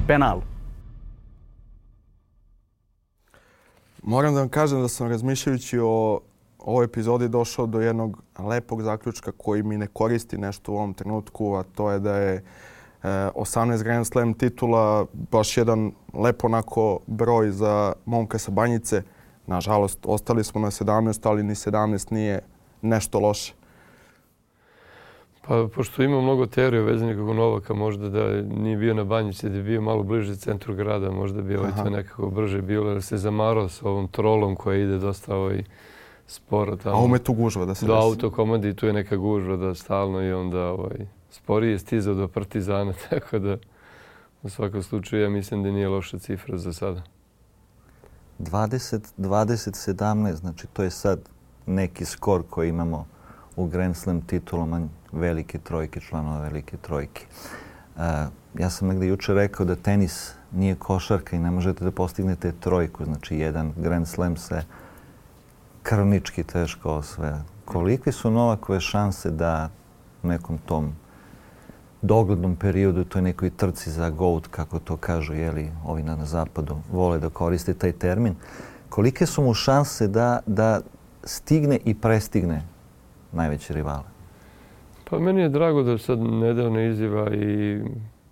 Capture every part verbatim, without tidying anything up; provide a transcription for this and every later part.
Penal. Moram da vam kažem da sam razmišljajući o ovoj epizodi došao do jednog lepog zaključka koji mi ne koristi nešto u ovom trenutku, a to je da je osamnaest Grand Slam titula baš jedan lepo onako broj za momka sa Banjice. Nažalost, ostali smo na sedamnaest, ali ni sedamnaest nije nešto loše. Pa, pošto ima mnogo teorije vezanih kako Novaka, možda da nije bio na Banjici, da je bio malo bliže centru grada, možda bi ovaj to nekako brže bilo, jer se zamarao sa ovom trolom koja ide dosta ovaj sporo tamo. A ume tu gužva da se do desi. Do autokomandi tu je neka gužva da stalno i onda ovaj, sporije stizao do Partizana, tako da u svakom slučaju ja mislim da nije loša cifra za sada. dvadeset dvadeset sedamnaest, znači to je sad neki skor koji imamo u Grand Slam titulama velike trojke, članova velike trojke. Uh, ja sam negdje jučer rekao da tenis nije košarka i ne možete da postignete trojku, znači jedan Grand Slam se krvnički teško osvaja. Kolike su Novakove šanse da u nekom tom doglednom periodu, toj nekoj trci za GOAT, kako to kažu, jeli, ovi na zapadu vole da koriste taj termin, kolike su mu šanse da, da stigne i prestigne najveće rivale? Pa meni je drago da sad nedavno izjava i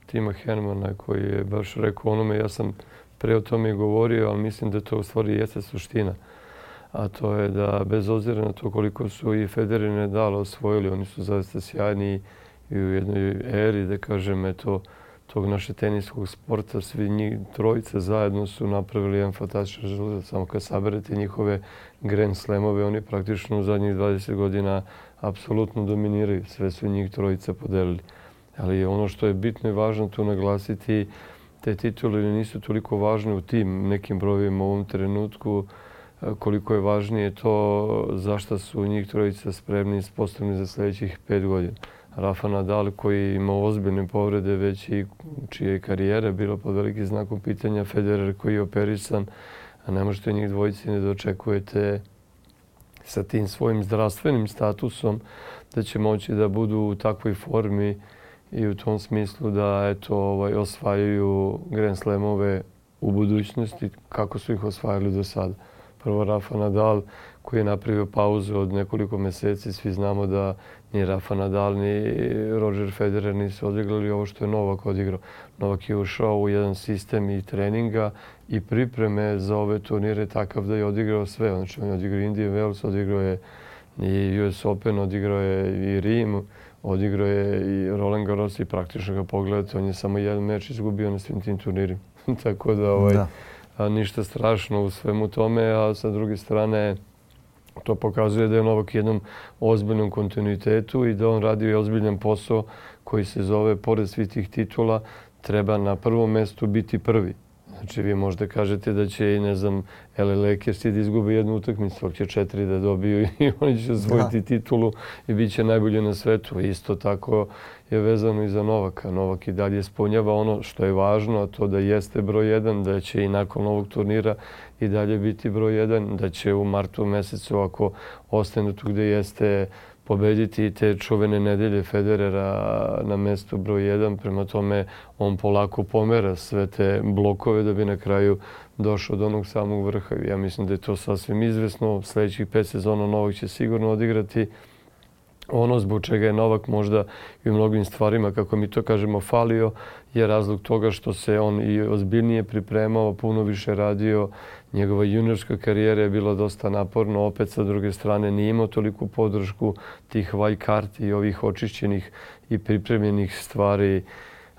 Tima Henmana koji je baš rekao onome, ja sam pre o tome i govorio, ali mislim da to u stvari jeste suština. A to je da bez obzira na to koliko su i Federer i Nadal osvojili, oni su zaista sjajni i u jednoj eri, da kažem, eto, tog naše teniskog sporta, svi njih trojice zajedno su napravili jedan fantastičan rezultat. Samo kad saberete njihove Grand Slamove, oni praktično u zadnjih dvadeset godina apsolutno dominiraju. Sve su njih trojica podelili. Ali ono što je bitno i važno tu naglasiti, te titule nisu toliko važne u tim nekim brojevima u ovom trenutku, koliko je važnije to zašto su njih trojica spremni i sposobni za sljedećih pet godina. Rafa Nadal koji ima ozbiljne povrede već i čija je karijera bila pod velikim znakom pitanja, Federer koji je operisan, a ne možete njih dvojici ne dočekujete sa tim svojim zdravstvenim statusom da će moći da budu u takvoj formi i u tom smislu da eto, ovaj, osvajaju Grand Slamove u budućnosti kako su ih osvajali do sada. Prvo Rafa Nadal koji je napravio pauzu od nekoliko mjeseci. Svi znamo da ni Rafa Nadal ni Roger Federer nisu odigrali ovo što je Novak odigrao. Novak je ušao u jedan sistem i treninga i pripreme za ove turnire takav da je odigrao sve. Znači on je odigrao Indian Wells, odigrao je i U S Open, odigrao je i Rim, odigrao je i Roland Garros i praktično ga pogledate, on je samo jedan meč izgubio na svim tim turnirima. Tako da, ovaj, da. A, ništa strašno u svemu tome, a sa druge strane to pokazuje da je Novak u jednom ozbiljnom kontinuitetu i da on radi ozbiljan posao koji se zove, pored svih tih titula, treba na prvom mjestu biti prvi. Znači vi možda kažete da će i ne znam L A Lakersi da izgube jednu utakmicu, će četiri da dobiju i oni će osvojiti titulu i bit će najbolji na svetu. Isto tako je vezano i za Novaka. Novak i dalje ispunjava ono što je važno, a to da jeste broj jedan, da će i nakon ovog turnira i dalje biti broj jedan, da će u martu mjesecu, ako ostane tu gdje jeste, pobediti te čuvene nedelje Federera na mjestu broj jedan. Prema tome on polako pomera sve te blokove da bi na kraju došao do onog samog vrha. Ja mislim da je to sasvim izvesno. Sljedećih pet sezona Novak će sigurno odigrati. Ono zbog čega je Novak možda i u mnogim stvarima, kako mi to kažemo, falio, je razlog toga što se on i ozbiljnije pripremao, puno više radio. Njegova juniorska karijera je bila dosta naporna, opet sa druge strane nije imao toliku podršku tih white karti i ovih očišćenih i pripremljenih stvari.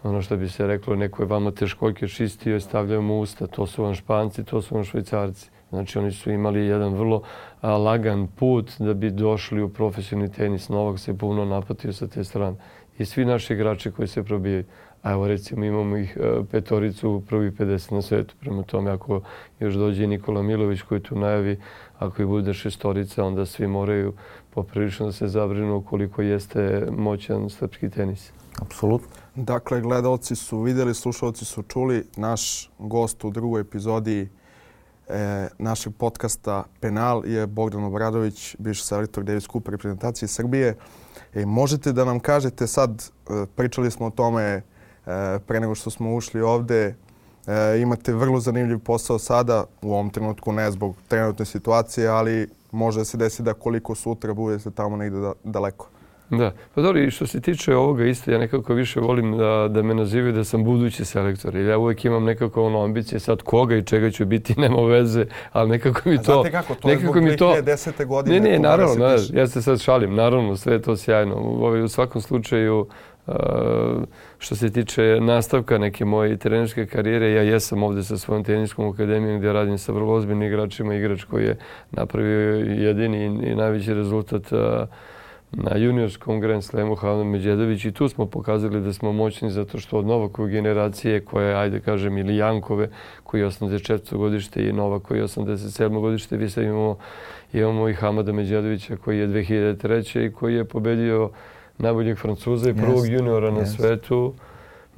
Ono što bi se reklo, neko je vama teškoljke čistio i stavljao mu usta. To su vam Španci, to su vam Švajcarci. Znači oni su imali jedan vrlo a, lagan put da bi došli u profesionalni tenis. Novak se puno napatio sa te strane. I svi naši igrači koji se probijaju. A evo recimo imamo ih a, petoricu u prvi pedeset na svetu. Prema tome ako još dođe Nikola Milović koji tu najavi, ako i bude šestorica, onda svi moraju poprilično da se zabrinu koliko jeste moćan srpski tenis. Apsolutno. Dakle, gledalci su vidjeli, slušalci su čuli, naš gost u drugoj epizodi E, našeg podcasta Penal je Bogdan Obradović, bivši selektor Davis Cup reprezentacije Srbije. E, možete da nam kažete sad, e, pričali smo o tome e, pre nego što smo ušli ovde, E, imate vrlo zanimljiv posao sada, u ovom trenutku ne zbog trenutne situacije, ali može se desiti da koliko sutra budete tamo negdje da, daleko. Da, pa dobro, i što se tiče ovoga isto, ja nekako više volim da, da me nazivaju da sam budući selektor. Jer ja uvijek imam nekako ono ambicije sad koga i čega ću biti, nema veze, ali nekako mi to... A znate kako, to je zbog dvije hiljade desete godine. Ne, ne, naravno, ne, ja se sad šalim, naravno, sve je to sjajno. U, u svakom slučaju, uh, što se tiče nastavka neke moje trenerske karijere, ja jesam ovdje sa svojom teniskom akademijom gdje radim sa vrlo ozbiljnim igračima, igrač koji je napravio jedini i najveći rezultat uh, na juniorskom Grand Slamu Hano Medjedović i tu smo pokazali da smo moćni zato što od Novakove generacije koje, ajde kažem, ili Jankove koji je osamdeset četvrto godište i Novak koji je osamdeset sedmo godište, vi sad imamo, imamo i Hamada Medjedovića koji je dve hiljade treće i koji je pobedio najboljeg Francuza i prvog yes, juniora na yes. svetu.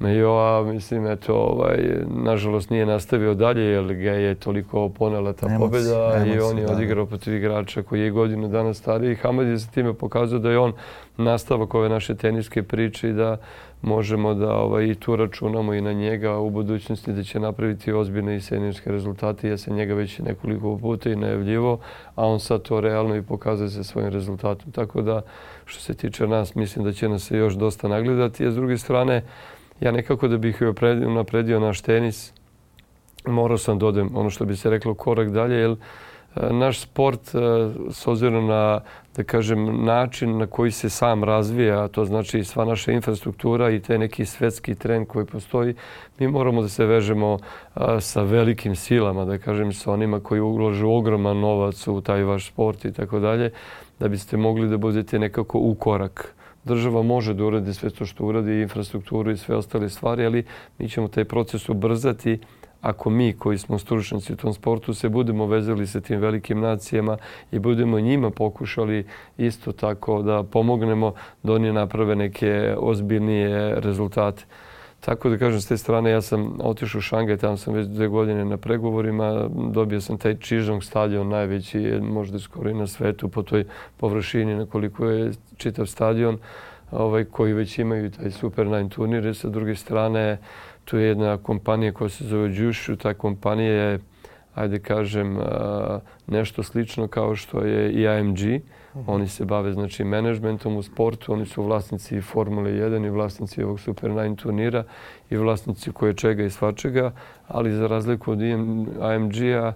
Mejoa, mislim, eto, ovaj, nažalost nije nastavio dalje jer ga je toliko ponela ta emoci, pobjeda emoci, i on je da. odigrao protiv igrača koji je godinu dana stariji. Hamad je sa time pokazao da je on nastavak ove naše teniske priče i da možemo da ovaj, i tu računamo i na njega u budućnosti da će napraviti ozbiljne i seniorske rezultate. Ja sam njega već nekoliko puta i najavljivo, a on sad to realno i pokazuje se svojim rezultatom. Tako da, što se tiče nas, mislim da će nas se još dosta nagledati. A s druge strane, ja nekako da bih napredio naš tenis, morao sam da odem, ono što bi se reklo, korak dalje, jer naš sport, s obzirom na, da kažem, način na koji se sam razvija, to znači sva naša infrastruktura i taj neki svetski trend koji postoji, mi moramo da se vežemo sa velikim silama, da kažem, sa onima koji ulažu ogroman novac u taj vaš sport i tako dalje, da biste mogli da budete nekako u korak. Država može da uradi sve to što uradi, infrastrukturu i sve ostale stvari, ali mi ćemo taj proces ubrzati ako mi koji smo stručnjaci u tom sportu se budemo vezali sa tim velikim nacijama i budemo njima pokušali isto tako da pomognemo da oni naprave neke ozbiljnije rezultate. Tako da kažem, s te strane ja sam otišao u Šangaj, tamo sam već dve godine na pregovorima, dobio sam taj Čižong stadion, najveći možda skoro i na svetu po toj površini na koliko je čitav stadion, ovaj, koji već imaju taj Super Nine turnire. Sa druge strane, tu je jedna kompanija koja se zove Jushu, ta kompanija je, ajde kažem, nešto slično kao što je i A M G. Oni se bave, znači, menadžmentom u sportu, oni su vlasnici Formule jedan i vlasnici ovog Super Nine turnira i vlasnici koje čega i svačega, ali za razliku od A M G-a,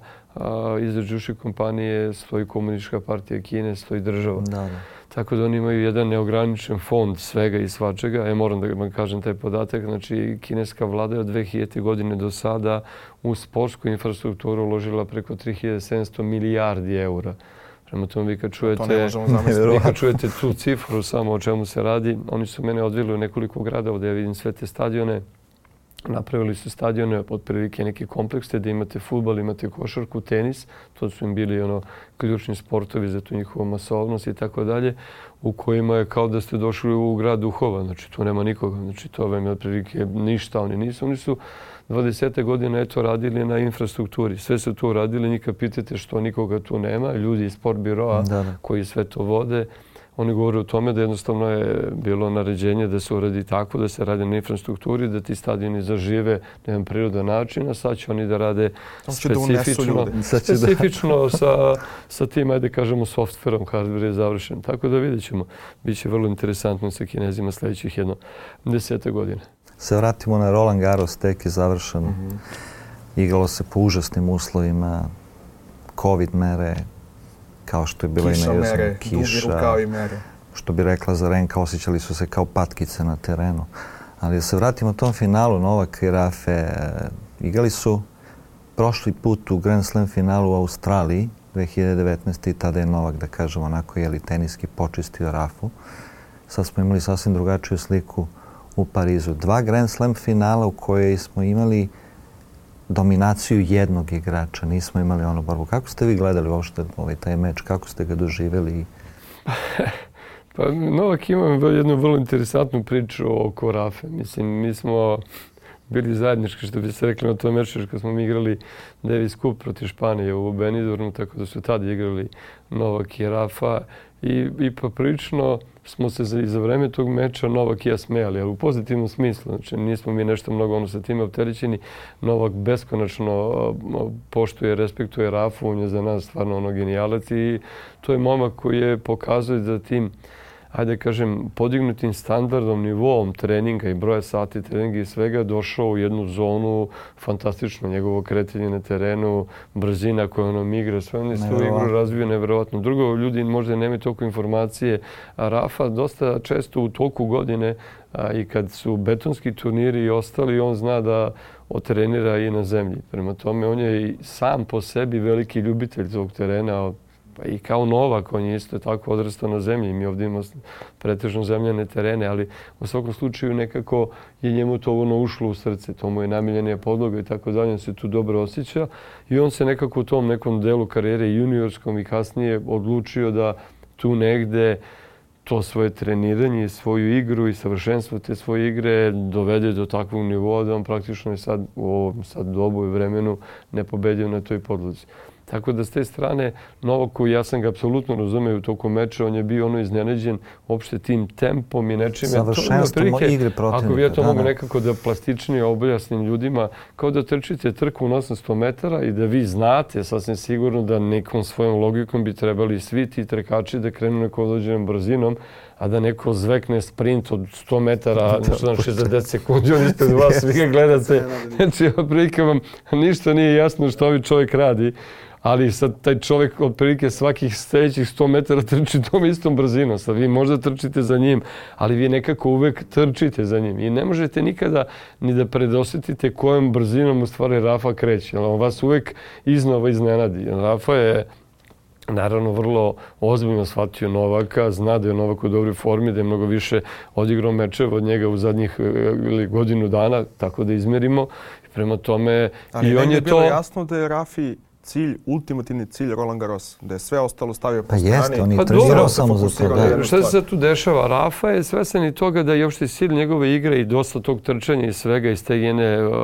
iza Jushi kompanije stoji Komunistička partija Kine, stoji država. Da, da. Tako da oni imaju jedan neograničen fond svega i svačega. Ja moram da vam kažem taj podatak. Znači, kineska vlada je od dve hiljadite godine do sada u sportsku infrastrukturu uložila preko tri hiljade sedamsto milijardi eura. Prema tome, vi kad čujete, vi kad čujete tu cifru samo o čemu se radi, oni su mene odveli u nekoliko gradova da ja vidim sve te stadione. Napravili su stadione od prilike neke komplekse da imate fudbal, imate košarku, tenis. To su im bili ono ključni sportovi za tu njihovu masovnost i tako dalje, u kojima je kao da ste došli u grad duhova. Znači, tu nema nikoga. Znači, to vam je od prilike ništa. Oni nisu. Oni su dvadesete godine eto radili na infrastrukturi. Sve su tu radili. Nika pitate što nikoga tu nema. Ljudi iz sport biroa da, da. koji sve to vode. Oni govore o tome da jednostavno je bilo naređenje da se uradi tako, da se radi na infrastrukturi, da ti stadioni zažive na jedan prirodan način, a sad će oni da rade specifično, specifično sa, sa tim, ajde kažemo, softverom, hardware je završen. Tako da vidjet ćemo. Biće vrlo interesantno sa Kinezima sljedećih jedno desete godine. Se vratimo na Roland Garros, tek je završen. Mm-hmm. Igralo se po užasnim uslovima, covid mere, kao što je bila kiša, i mere, kiša, dugi rukav i mere. Što bi rekla Zarenka, osjećali su se kao patkice na terenu. Ali da se vratimo tom finalu, Novak i Rafe, igrali su prošli put u Grand Slam finalu u Australiji, dve hiljade devetnaeste. i tada je Novak, da kažemo, onako jeli teniski počistio Rafu. Sad smo imali sasvim drugačiju sliku u Parizu. Dva Grand Slam finala u kojoj smo imali dominaciju jednog igrača, nismo imali onu borbu. Kako ste vi gledali uopšte ovaj taj meč? Kako ste ga doživjeli? Pa Novak ima jednu vrlo interesantnu priču oko Rafe. Mislim, mi smo bili zajednički, što bi se rekli na tom meču, kad smo mi igrali Davis Cup protiv Španije u Benidormu, tako da su tada igrali Novak i Rafa. i, i poprilično smo se za, za vreme tog meča Novak i ja smejali, ali u pozitivnom smislu. Znači, nismo mi nešto mnogo ono sa time opterećeni. Novak beskonačno poštuje, respektuje Rafu, on je za nas stvarno ono genijalac i to je momak koji je pokazuje da tim, ajde kažem, podignutim standardom, nivoom treninga i broja sati treninga i svega došao u jednu zonu fantastično. Njegovo kretanje na terenu, brzina koju on igra, sve on je svoju igru razvio nevjerovatno. Drugo, ljudi možda nemaju toliko informacije, a Rafa dosta često u toku godine a, i kad su betonski turniri i ostali, on zna da otrenira i na zemlji. Prema tome, on je i sam po sebi veliki ljubitelj tog terena, pa i kao Novak, on je isto tako odrastao na zemlji. Mi ovdje imamo pretežno zemljane terene, ali u svakom slučaju nekako je njemu to ono ušlo u srce. To mu je namiljenija podloga i tako dalje. On se tu dobro osjeća i on se nekako u tom nekom delu karijere juniorskom i kasnije odlučio da tu negde to svoje treniranje, svoju igru i savršenstvo te svoje igre dovede do takvog nivoa da on praktično je sad u ovom sad dobu i vremenu ne pobedio na toj podlozi. Tako da s te strane Novaku, ja sam ga apsolutno razumeo u toku meča, on je bio ono iznenađen uopšte tim tempom i nečime. Savršenstvom igre protivnika. Ako ja to mogu nekako da plastičnije objasnim ljudima, kao da trčite trku na osamsto metara i da vi znate sasvim sigurno da nekom svojom logikom bi trebali svi ti trkači da krenu nekom određenom brzinom, a da neko zvekne sprint od sto metara na šezdeset sekundi, on ispred vas, vi ga gledate. Znači, otprilike vam ništa nije jasno što ovi čovjek radi, ali sad taj čovjek otprilike svakih sljedećih sto metara trči tom istom brzinom. Sad vi možda trčite za njim, ali vi nekako uvek trčite za njim. I ne možete nikada ni da predosjetite kojom brzinom u stvari Rafa kreće. On vas uvek iznova iznenadi. Rafa je naravno vrlo ozbiljno shvatio Novaka, zna da je Novak u dobroj formi, da je mnogo više odigrao mečeva od njega u zadnjih ili godinu dana, tako da izmerimo. Prema tome, ali i on je to... bilo jasno da je Rafi cilj, ultimativni cilj Roland Garros, da je sve ostalo stavio po pa strani. Jeste, on je pa trenirao samo za to. Da. Šta se sad tu dešava? Rafa je svesan i toga da je uopšte cilj njegove igre i dosta tog trčanja i svega iz te jedne uh,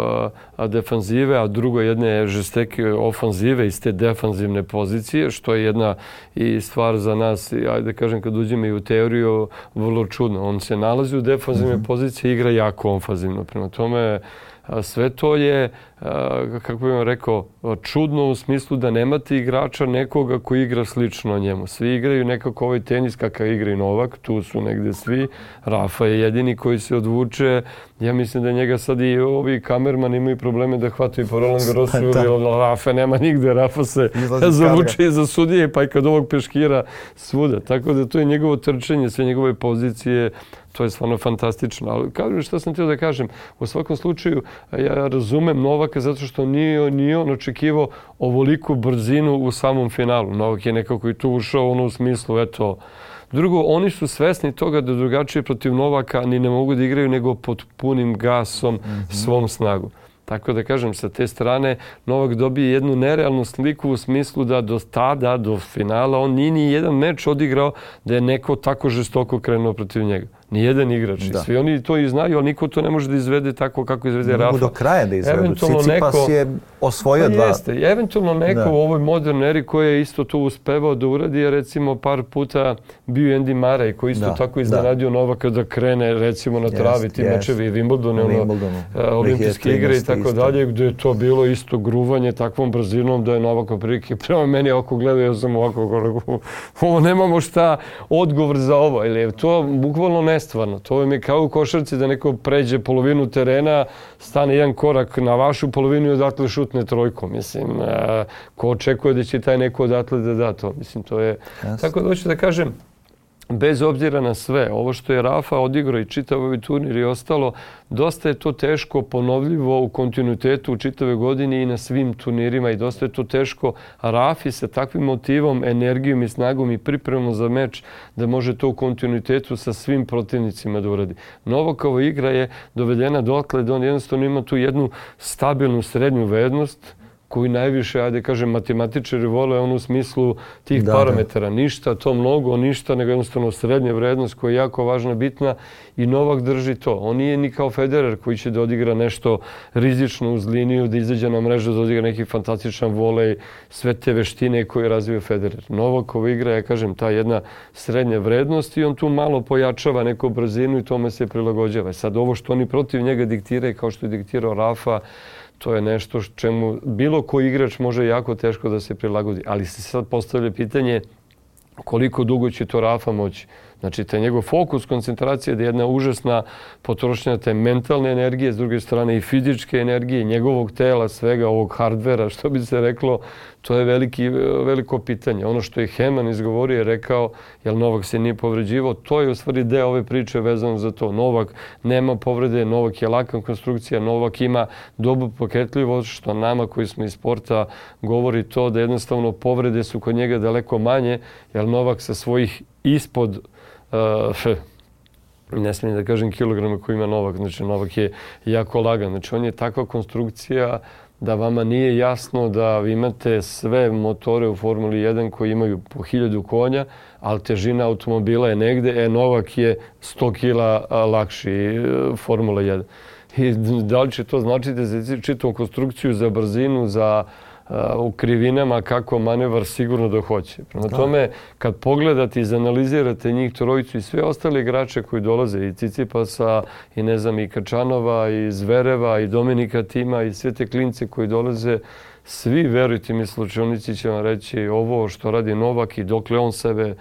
defanzive, a drugo jedne žesteke ofanzive iz te defanzivne pozicije, što je jedna i stvar za nas, ajde da kažem kad uđemo i u teoriju, vrlo čudno. On se nalazi u defanzivne mm-hmm. pozicije i igra jako ofanzivno. Prema tome, sve to je, kako bih vam rekao, čudno u smislu da nemate igrača nekoga koji igra slično njemu. Svi igraju nekako ovaj tenis kakav igra i Novak, tu su negde svi. Rafa je jedini koji se odvuče. Ja mislim da njega sad i ovi kamerman imaju probleme da hvataju po Roland Garrosu ili Rafa nema nigde. Rafa se zavuče iza sudije pa i kad ovog peškira svuda. Tako da to je njegovo trčanje, sve njegove pozicije. To je stvarno fantastično. Ali kažem što sam htio da kažem, u svakom slučaju ja razumem Novaka zato što nije, nije on očekivao ovoliku brzinu u samom finalu. Novak je nekako i tu ušao ono u smislu, eto. Drugo, oni su svesni toga da drugačije protiv Novaka ni ne mogu da igraju nego pod punim gasom mm-hmm. svom snagu. Tako da kažem, sa te strane Novak dobije jednu nerealnu sliku u smislu da do tada, do finala, on nije ni jedan meč odigrao da je neko tako žestoko krenuo protiv njega. Nijedan igrač. Da. Svi oni to i znaju, ali niko to ne može da izvede tako kako izvede Rafa. Ne mogu do kraja da izvedu. Cicipas neko, je osvojio pa dva. Jeste. Eventualno neko da. u ovoj modernoj eri koji je isto to uspevao da uradi, je recimo par puta bio Andy Murray koji isto da. tako iznenadio da. Novaka da krene recimo na travi yes, ti yes. mečevi i Wimbledone, ono, uh, olimpijske igre i tako isto. dalje, gdje je to bilo isto gruvanje takvom brzinom da je Novak prilike prema meni oko gledao, ja sam ovako, ovo nemamo šta odgovor za ovo. Ili je to bukvalno ne stvarno. To je kao u košarci da neko pređe polovinu terena, stane jedan korak na vašu polovinu i odatle šutne trojkom. Mislim, ko očekuje da će taj neko odatle da da to? Mislim, to je... Yes. Tako da hoću da kažem, bez obzira na sve, ovo što je Rafa odigrao i čitav ovaj turnir i ostalo, dosta je to teško ponovljivo u kontinuitetu u čitave godine i na svim turnirima i dosta je to teško Rafi sa takvim motivom, energijom i snagom i pripremom za meč da može to u kontinuitetu sa svim protivnicima da uradi. Novakova igra je dovedena dotle da on jednostavno ima tu jednu stabilnu srednju vrednost koji najviše, ajde kažem, matematičari vole on u smislu tih da, parametara. Da. Ništa, to mnogo, ništa, nego jednostavno srednja vrednost koja je jako važna, bitna i Novak drži to. On nije ni kao Federer koji će da odigra nešto rizično uz liniju, da izađe na mrežu, da odigra neki fantastičan volej, sve te veštine koje razvio Federer. Novakova igra, ja kažem, ta jedna srednja vrednost i on tu malo pojačava neku brzinu i tome se prilagođava. Sad ovo što oni protiv njega diktiraju, kao što je diktirao Rafa, to je nešto čemu bilo koji igrač može jako teško da se prilagodi. Ali se sad postavlja pitanje koliko dugo će to Rafa moći. Znači, taj njegov fokus, koncentracija da je jedna užasna potrošnja te mentalne energije, s druge strane i fizičke energije, njegovog tela, svega ovog hardvera, što bi se reklo, to je veliki, veliko pitanje. Ono što je Heman izgovorio je rekao, jer Novak se nije povređivao, to je u stvari deo ove priče vezano za to. Novak nema povrede, Novak je laka konstrukcija, Novak ima dobru pokretljivost, što nama koji smo iz sporta govori to da jednostavno povrede su kod njega daleko manje, jer Novak sa svojih ispod Uh, ne smijem da kažem kilograma koji ima Novak, znači Novak je jako lagan. Znači on je takva konstrukcija da vama nije jasno da vi imate sve motore u Formuli jedan koji imaju po hiljadu konja, ali težina automobila je negde, e Novak je sto kila lakši Formula jedan. I da li će to značiti za čitavu konstrukciju, za brzinu, za u krivinama kako manevar sigurno da hoće. Prema tome, kad pogledate i izanalizirate njih trojicu i sve ostale igrače koji dolaze, i Cicipasa, i ne znam, i Kačanova, i Zvereva, i Dominika Tima, i sve te klince koji dolaze, svi, verujte mi, slučajnici će vam reći ovo što radi Novak i dokle on sebe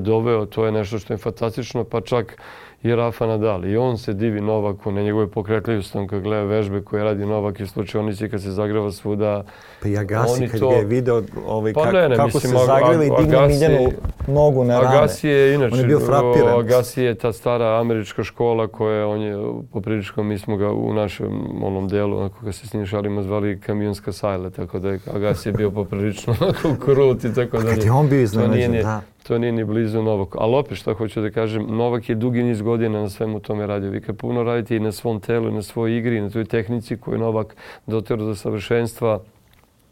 doveo, to je nešto što je fantastično, pa čak i Rafa Nadal. I on se divi Novaku na njegove pokretljivosti, kad gleda vežbe koje radi Novak i slučajnici kad se zagrava svuda. Pa i Agassi kad to... ga je video ovaj, pa kak, ne, ne, kako mislim, se zagrava i digne Miljanu nogu na rame. Agassi je inače, on je bio frapiran. Agassi je ta stara američka škola koja on je poprilično, mi smo ga u našem onom delu, onako kad se s njim šalimo, zvali kamionska sajle, tako da je Agassi je bio poprilično krut i tako da. Kad je on bio iznenađen, da. To nije ni blizu Novaku. Ali opet što hoću da kažem, Novak je dugi niz godina na svemu tome radio. Vi kad puno radite i na svom telu, i na svojoj igri, i na toj tehnici koju Novak dotero do savršenstva,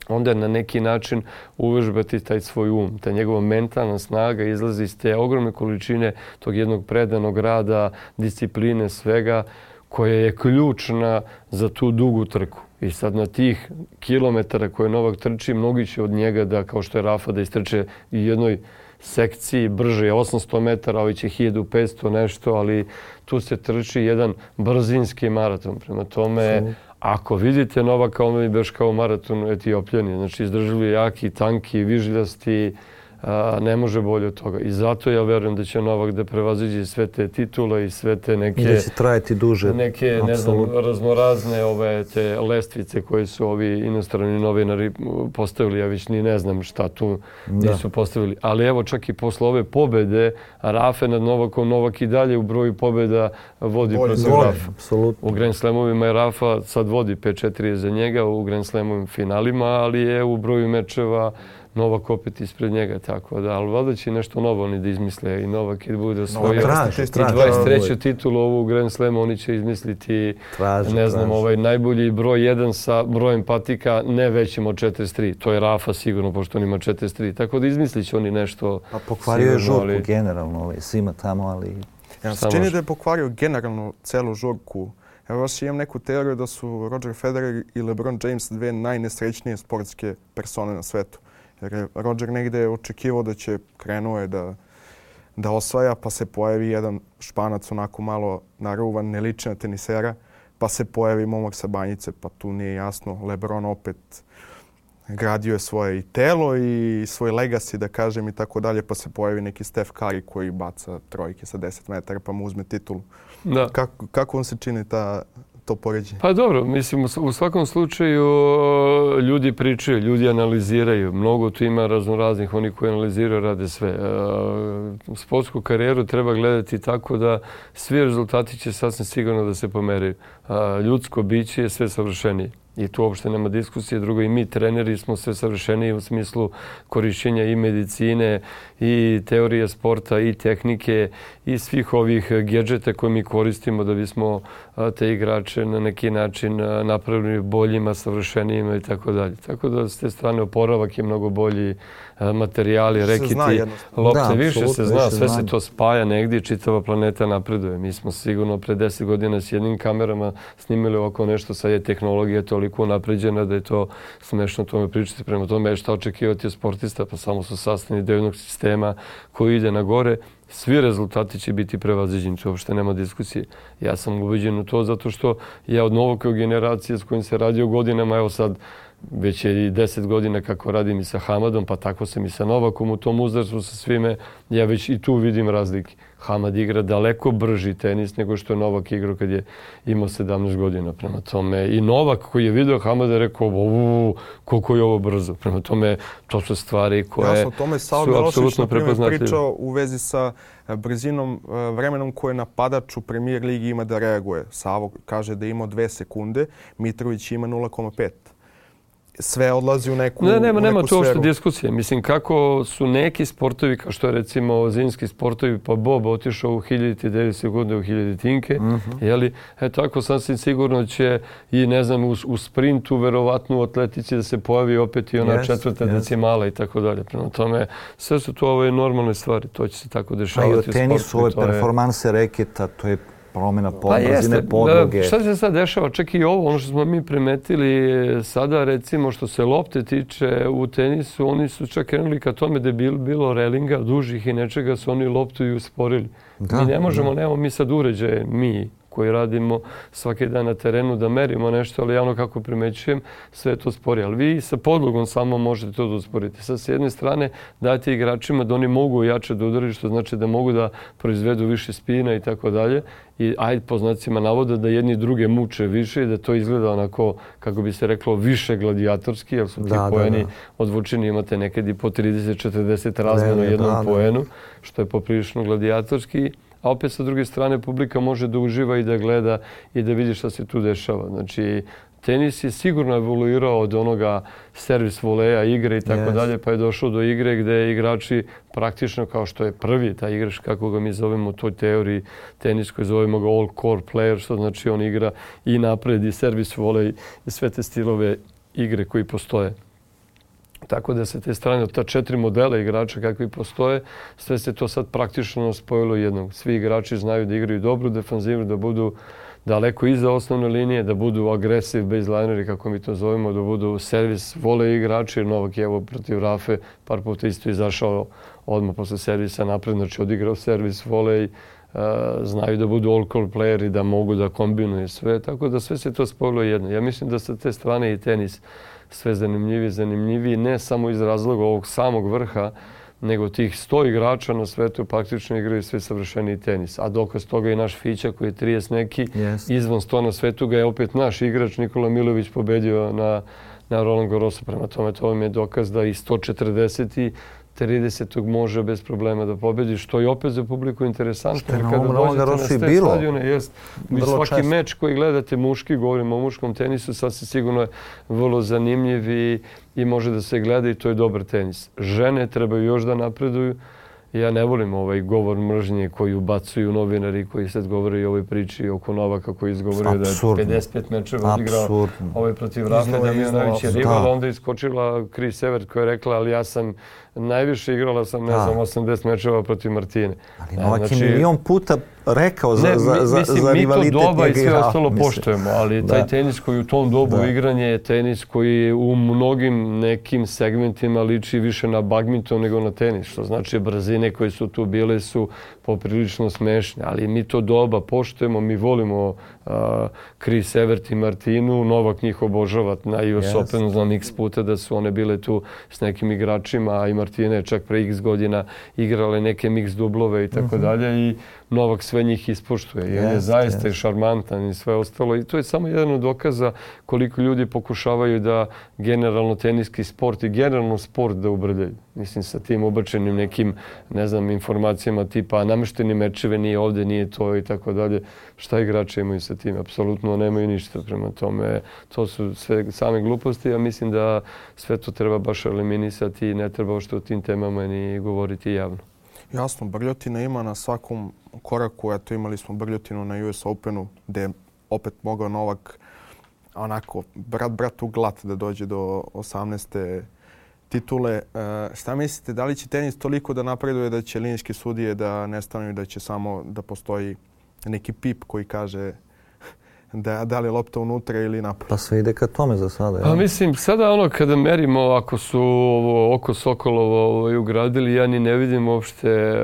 onda na neki način uvežbati taj svoj um. Ta njegova mentalna snaga izlazi iz te ogromne količine tog jednog predanog rada, discipline, svega, koja je ključna za tu dugu trku. I sad na tih kilometara koje Novak trči, mnogi će od njega da, kao što je Rafa, da istrče i jednoj sekciji brže je osamsto metara, ovi će hiljadu petsto nešto, ali tu se trči jedan brzinski maraton. Prema tome, ako vidite Novaka, on je baš kao maraton Etiopljani. Znači, izdržljivi, jaki, tanki, vižiljasti, a, ne može bolje od toga. I zato ja verujem da će Novak da prevaziđe sve te titule i sve te neke... I da će trajati duže. Neke, ne znam, raznorazne ove te lestvice koje su ovi inostrani novinari postavili. Ja već ni ne znam šta tu da. nisu postavili. Ali evo, čak i posle ove pobede, Rafe nad Novakom, Novak i dalje u broju pobeda vodi protiv Rafa. U Grand Slamovima je Rafa sad vodi pet četiri za njega u Grand Slamovim finalima, ali je u broju mečeva Novak opet ispred njega, tako da, ali valjda će nešto novo oni da izmisle i Novak i da bude osvojio i dvadeset treću titulu ovu Grand Slamu, oni će izmisliti, traži, ne znam, traži. ovaj najbolji broj jedan sa brojem patika ne većim od četrdeset tri. To je Rafa sigurno, pošto on ima četrdeset tri. Tako da izmislit će oni nešto. Pa pokvario je žurku ali... generalno, ovaj, svima tamo, ali... Ja se čini da je pokvario generalno celu žurku. Ja baš imam neku teoriju da su Roger Federer i LeBron James dve najnesrećnije sportske persone na svetu. Jer je Roger negde očekivao da će krenuo je da, da osvaja, pa se pojavi jedan Španac onako malo naruvan, ne liči na tenisera, pa se pojavi momak sa banjice, pa tu nije jasno. LeBron opet gradio je svoje i telo i svoj legacy, da kažem, i tako dalje, pa se pojavi neki Steph Curry koji baca trojke sa deset metara pa mu uzme titulu. Da. Kako, kako vam se čini ta... to poređenje? Pa dobro, mislim, u svakom slučaju ljudi pričaju, ljudi analiziraju. Mnogo tu ima raznoraznih, oni koji analiziraju rade sve. Sportsku karijeru treba gledati tako da svi rezultati će sasvim sigurno da se pomeraju. Ljudsko biće je sve savršenije. I tu uopšte nema diskusije. Drugo, i mi treneri smo sve savršeniji u smislu korišćenja i medicine, i teorije sporta, i tehnike, i svih ovih gedžeta koje mi koristimo da bismo te igrače na neki način napravili boljima, savršenijima i tako dalje. Tako da s te strane oporavak je mnogo bolji, materijali, rekiti, lopte, da, više se zna, sve se to spaja negdje i čitava planeta napreduje. Mi smo sigurno pre deset godina s jednim kamerama snimili ovako nešto, sad je tehnologija toliko napređena da je to smešno tome pričati. Prema tome, šta očekivati od sportista, pa samo su sastavni deo jednog sistema koji ide na gore. Svi rezultati će biti prevaziđeni, to uopšte nema diskusije. Ja sam ubeđen u to zato što ja od Novakove generacije s kojim se radio godinama, evo sad već je i deset godina kako radim i sa Hamadom, pa tako sam i sa Novakom u tom uzrastu sa svime, ja već i tu vidim razlike. Hamad igra daleko brži tenis nego što je Novak igrao kad je imao sedamnaest godina. Prema tome i Novak koji je vidio Hamada je rekao uuu, koliko je ovo brzo. Prema tome to su stvari koje Jasno, tome su apsolutno prepoznatljive. Pričao u vezi sa brzinom, vremenom koje napadač u Premier ligi ima da reaguje. Savo kaže da ima dve sekunde, Mitrović ima nula zarez pet. Sve odlazi u neku, ne, nema, u neku nema tu uopšte sferu. diskusije. Mislim, kako su neki sportovi, kao što je recimo zimski sportovi, pa Bob otišao u hiljaditi devet sekunde u hiljaditinke, mm-hmm. jeli? E tako sasvim sigurno će i, ne znam, u, u sprintu, verovatno u atletici da se pojavi opet i ona yes, četvrta yes. decimala i tako dalje. Prema tome, sve su to ove normalne stvari. To će se tako dešavati u sportu. Pa i u tenisu, ove performanse reketa, to je promjena brzine podloge. Šta se sad dešava? Čak i ovo, ono što smo mi primetili sada, recimo što se lopte tiče u tenisu, oni su čak krenuli ka tome da je bilo relinga, dužih i nečega, su oni loptu i usporili. Da, mi ne možemo, da. Nemamo mi sad uređaje, mi koji radimo svaki dan na terenu da merimo nešto, ali javno kako primećujem, sve je to spori. Ali vi sa podlogom samo možete to da usporiti. Sad, s jedne strane, dajte igračima da oni mogu jače da udaraju, što znači da mogu da proizvedu više spina i tako dalje. I ajde po znacima navoda da jedni druge muče više i da to izgleda onako, kako bi se reklo, više gladijatorski, jer su ti da, poeni da, da. odvučeni, imate nekad i po trideset do četrdeset razmjena u jednom da, poenu, što je poprilično gladijatorski. A opet sa druge strane publika može da uživa i da gleda i da vidi šta se tu dešava. Znači, tenis je sigurno evoluirao od onoga servis voleja, igre i tako yes. dalje, pa je došao do igre gdje igrači praktično kao što je prvi taj igrač, kako ga mi zovemo u toj teoriji teniskoj, zovemo ga all core player, što znači on igra i napred i servis volej i sve te stilove igre koji postoje. Tako da se te strane od ta četiri modela igrača kakvi postoje, sve se to sad praktično spojilo jednog. Svi igrači znaju da igraju dobru defanzivu, da budu daleko iza osnovne linije, da budu aggressive baselineri, kako mi to zovemo, da budu servis vole igrači. Novak je evo protiv Rafe par puta isto izašao odmah posle servisa napred, znači odigrao servis volej, uh, znaju da budu all-core playeri, da mogu da kombinuju sve, tako da sve se to spojilo jedno. Ja mislim da sa te strane i tenis sve zanimljiviji, zanimljiviji, ne samo iz razloga ovog samog vrha, nego tih sto igrača na svetu praktično igraju sve savršeniji tenis. A dokaz toga i naš Fića koji je trideset neki, yes. izvan sto na svetu ga je opet naš igrač Nikola Milović pobedio na, na Roland Garrosu. Prema tome, to vam je dokaz da i sto četrdeset tridesetog može bez problema da pobedi, što je opet za publiku interesantno. Što je na ovom Roland Garrosu i bilo. Stadione, jest, svaki čest. meč koji gledate muški, govorimo o muškom tenisu, sasvim sigurno je vrlo zanimljiv i, i može da se gleda i to je dobar tenis. Žene trebaju još da napreduju. Ja ne volim ovaj govor mržnje koji ubacuju novinari koji sad govore i o ovoj priči oko Novaka koji izgovorio da je pedeset pet mečeva odigrao ovaj protiv Rafe Damjanović je rival. Onda iskočila Chris Evert koja je rekla ali ja sam najviše igrala sam, ne znam, osamdeset mečeva protiv Martine. Ali Novak je znači, milion puta rekao za, ne, za, za, mislim, za rivalitet. Mi to doba i sve ostalo mislim. poštujemo, ali da. taj tenis koji u tom dobu da. igranje je tenis koji u mnogim nekim segmentima liči više na badminton nego na tenis. Što znači brzine koje su tu bile su poprilično smešne, ali mi to doba poštujemo, mi volimo uh, Chris Evert i Martinu, Novak njih obožava na U S yes. Openu, znam x puta da su one bile tu s nekim igračima, a i Martina je čak pre x godina igrale neke mix dublove i tako dalje i Novak sve njih ispoštuje. Yes, on je zaista yes. šarmantan i sve ostalo. I to je samo jedan od dokaza koliko ljudi pokušavaju da generalno teniski sport i generalno sport da ubrdaju. Mislim, sa tim obačenim nekim, ne znam, informacijama tipa na namešteni mečeve, nije ovde, nije to i tako dalje. Šta igrači imaju sa tim? Apsolutno nemaju ništa. Prema tome, to su sve same gluposti. Ja mislim da sve to treba baš eliminisati i ne treba uopšte o tim temama ni govoriti javno. Jasno, brljotina ima na svakom koraku. Eto, imali smo brljotinu na U S Openu gde je opet mogao Novak onako brat bratu glat da dođe do osamnaeste titule. E, šta mislite, da li će tenis toliko da napreduje da će linijske sudije da nestanu i da će samo da postoji neki pip koji kaže da, da li je lopta unutra ili napad? Pa sve ide ka tome za sada. Pa mislim, sada ono kada merimo, ako su ovo oko Sokolovo ovaj, ugradili, ja ni ne vidim uopšte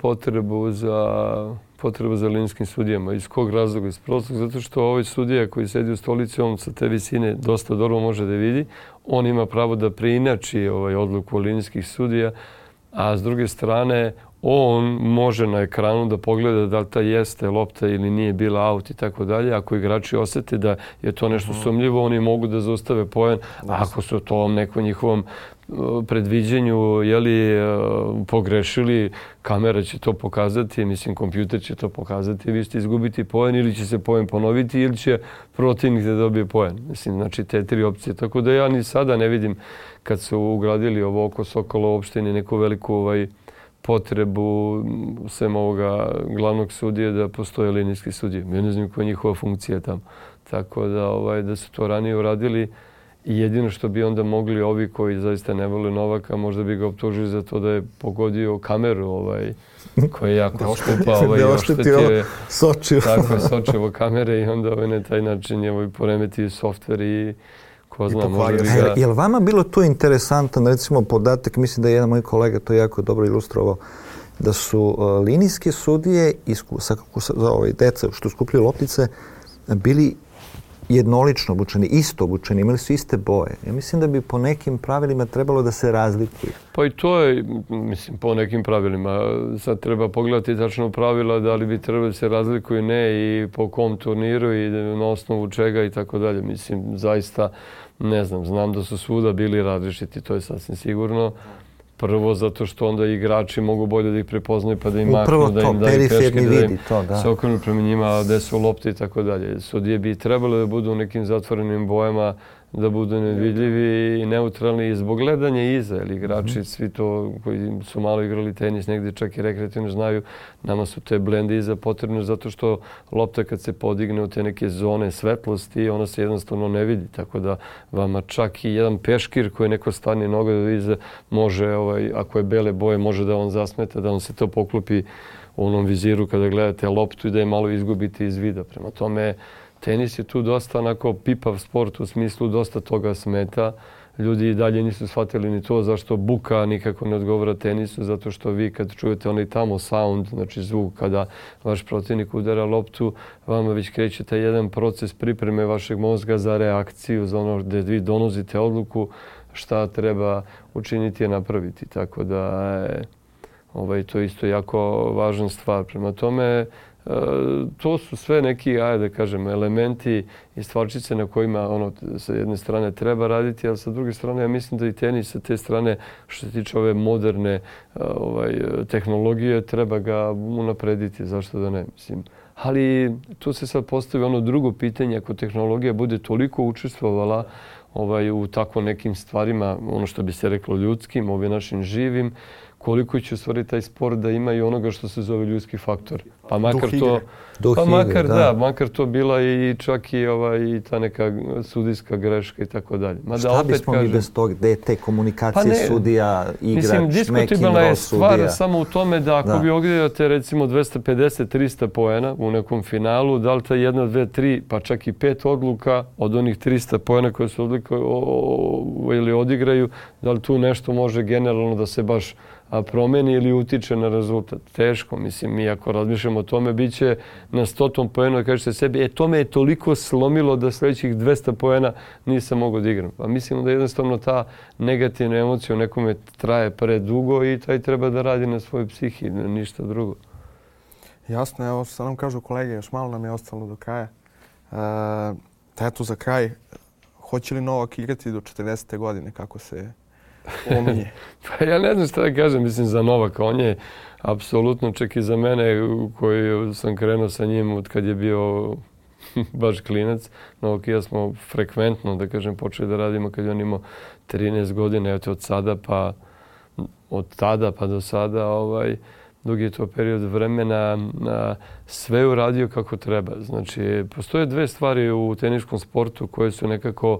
potrebu za potrebu za linijskim sudijama. Iz kog razloga? Iz prostog, zato što ovaj sudija koji sedi u stolici, on sa te visine dosta dobro može da vidi. On ima pravo da preinači ovaj odluku linijskih sudija, a s druge strane on može na ekranu da pogleda da li ta jeste lopta ili nije bila aut i tako dalje. Ako igrači osete da je to nešto sumnjivo, oni mogu da zaustave poen. Ako su to nekom njihovom predviđenju jeli, pogrešili, kamera će to pokazati, mislim, kompjuter će to pokazati, vi ćete izgubiti poen ili će se poen ponoviti ili će protivnik da dobije poen. Mislim, znači te tri opcije. Tako da ja ni sada ne vidim kad su ugradili ovo oko Sokola uopšte ni neku veliku ovaj, potrebu sem ovoga glavnog sudije da postoje linijski sudije. Ja ne znam koja je njihova funkcija tamo. Tako da, ovaj, da su to ranije uradili. I jedino što bi onda mogli ovi koji zaista ne vole Novaka, možda bi ga optužili za to da je pogodio kameru ovaj, koja je jako skupa. Ovaj, da oštetio Sočivo. Tako je, Sočivo kamere i onda ovaj, na taj način je ovaj, poremetio softver i ko zna, možda bi ga... Je li vama bilo to interesantan, recimo, podatak, mislim da je jedan moj kolega to jako dobro ilustrovao, da su uh, linijske sudije isku, sa, za ovaj, deca što skupljaju loptice bili jednolično obučeni, isto obučeni, imali su iste boje. Ja mislim da bi po nekim pravilima trebalo da se razlikuju. Pa i to je, mislim, po nekim pravilima. Sad treba pogledati tačno pravila da li bi trebalo da se razlikuju ne i po kom turniru i na osnovu čega i tako dalje. Mislim, zaista ne znam. Znam da su svuda bili različiti, to je sasvim sigurno. Prvo zato što onda igrači mogu bolje da ih prepoznaju pa da im maknu, da im daju peške, da im se okrenu prema njima, gde su lopte i tako dalje. Sudije bi trebalo da budu u nekim zatvorenim bojama, da budu nevidljivi i neutralni i zbog gledanja iza. Jer igrači, svi to koji su malo igrali tenis, negdje čak i rekreativno znaju, nama su te blende iza potrebne zato što lopta kad se podigne u te neke zone svetlosti, ona se jednostavno ne vidi. Tako da vama čak i jedan peškir koji neko stane noga do iza može, ovaj, ako je bele boje, može da on zasmeta, da on se to poklopi u onom viziru kada gledate loptu i da je malo izgubite iz vida. Prema tome, tenis je tu dosta onako pipav sport, u smislu dosta toga smeta. Ljudi i dalje nisu shvatili ni to zašto buka nikako ne odgovara tenisu, zato što vi kad čujete onaj tamo sound, znači zvuk kada vaš protivnik udara loptu, vama već kreće taj jedan proces pripreme vašeg mozga za reakciju, za ono gdje vi donosite odluku šta treba učiniti i napraviti. Tako da je ovaj, to isto jako važna stvar. Prema tome, E, to su sve neki, ajde da kažem, elementi i stvarčice na kojima ono, sa jedne strane treba raditi, ali sa druge strane ja mislim da i tenis sa te strane što se tiče ove moderne ovaj, tehnologije treba ga unaprediti, zašto da ne, mislim. Ali tu se sad postavi ono drugo pitanje, ako tehnologija bude toliko učestvovala ovaj, u tako nekim stvarima, ono što bi se reklo ljudskim, ovim našim živim, koliko će u stvari taj sport da ima i onoga što se zove ljudski faktor. Pa makar to, pa makar da, makar to bila i čak i ovaj i ta neka sudijska greška i tako dalje. Mada šta opet bismo kažem, mi bez tog, gde te komunikacije pa sudija, igrač, mislim, diskutibilna je stvar sudija. Samo u tome da ako da. vi ogledate recimo dvesta pedeset do trista poena u nekom finalu, da li ta jedna, dve, tri, pa čak i pet odluka od onih trista poena koje su odluka, o, o, ili odigraju, da li tu nešto može generalno da se baš a promeni ili utiče na rezultat. Teško, mislim, mi ako razmišljamo o tome, bit će na stotom poenu da kažete sebi, e, to me je toliko slomilo da sljedećih dvesta poena nisam mogao da igram. Pa mislimo da jednostavno ta negativna emocija u nekome traje predugo i taj treba da radi na svojoj psihi, ništa drugo. Jasno, evo sad nam kažu kolege, još malo nam je ostalo do kraja. E, eto za kraj, hoće li Novak igrati do četrdesete godine, kako se pominje? Pa ja ne znam šta da kažem, mislim za Novaka. On je apsolutno, čak i za mene koji sam krenuo sa njim od kad je bio baš klinac. Novak i ja smo frekventno, da kažem, počeli da radimo kad je on imao trinaest godina. Eto od sada pa od tada pa do sada ovaj, dugi je to period vremena, sve je uradio kako treba. Znači, postoje dve stvari u teniškom sportu koje su nekako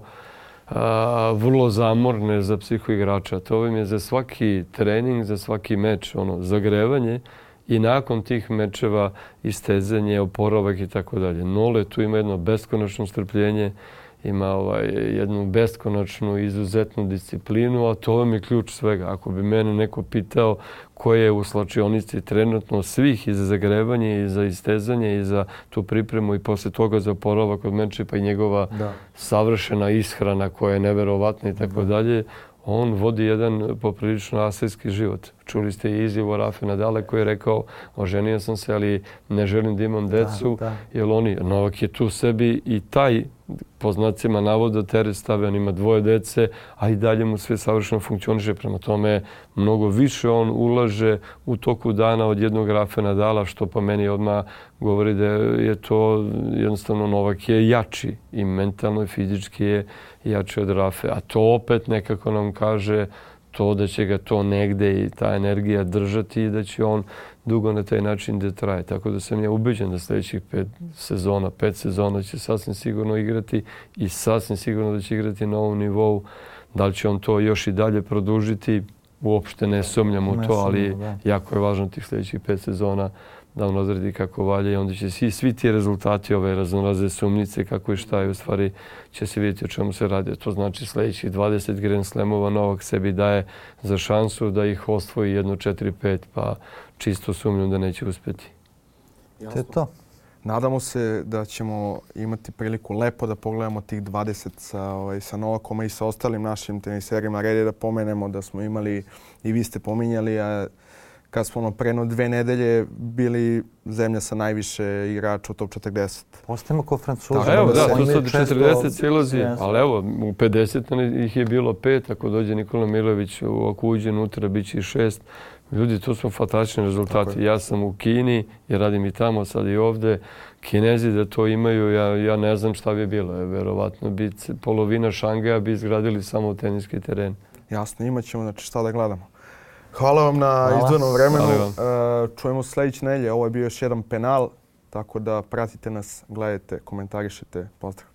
a, vrlo zamorne za psihoigrača. To im je za svaki trening, za svaki meč, ono, zagrevanje i nakon tih mečeva istezanje, oporavak i tako dalje. Nole tu ima jedno beskonačno strpljenje, ima ovaj, jednu beskonačnu, izuzetnu disciplinu, a to vam je ključ svega. Ako bi mene neko pitao ko je u slačionici trenutno svih i za zagrevanje, i za istezanje, i za tu pripremu, i posle toga za oporavak od meča, pa i njegova da. savršena ishrana koja je neverovatna i tako dalje, on vodi jedan poprilično asijski život. Čuli ste i izjavu Rafe Nadala koji je rekao oženio sam se, ali ne želim da imam decu, da, da. jer oni, Novak je tu sebi i taj po znacima navoda teret stave, on ima dvoje dece, a i dalje mu sve savršeno funkcioniše. Prema tome, mnogo više on ulaže u toku dana od jednog Rafe Nadala, što po meni odmah govori da je to jednostavno Novak je jači i mentalno i fizički je jači od Rafe. A to opet nekako nam kaže to da će ga to negde i ta energija držati i da će on dugo na taj način da traje. Tako da sam ja ubeđen da sljedećih pet sezona, pet sezona će sasvim sigurno igrati i sasvim sigurno da će igrati na ovom nivou. Da li će on to još i dalje produžiti, uopšte ne sumnjam u to, ali jako je važno tih sljedećih pet sezona da on odredi kako valja i onda će svi, svi ti rezultati ove raznorazne sumnjice kako i šta je u stvari će se vidjeti o čemu se radi. To znači sljedećih dvadeset Grand Slamova Novak sebi daje za šansu da ih osvoji jedno četiri pet, pa čisto sumnjam da neće uspjeti. To je to. Nadamo se da ćemo imati priliku lepo da pogledamo tih dvadeset sa, ovaj, sa Novakom i sa ostalim našim teniserima. Red je da pomenemo da smo imali, i vi ste pominjali, a kad smo ono preno dve nedelje bili zemlja sa najviše igrača u top četrdeset. Postajemo ko Francuzi. Evo, da, tu sad četrdeset silazi, ali evo, u pedeset ih je bilo pet, ako dođe Nikola Milojević ako uđe unutra, bit će i šest. Ljudi, to su fantastični rezultati. Ja sam u Kini, jer radim i tamo, sad i ovde. Kinezi da to imaju, ja, ja ne znam šta bi bilo. Verovatno bi polovina Šangaja bi izgradili samo teniski teren. Jasno, imat ćemo, znači šta da gledamo. Hvala vam na izdvojenom vremenu. Čujemo sljedeće nedelje. Ovo je bio još jedan penal, tako da pratite nas, gledajte, komentarišite. Pozdrav.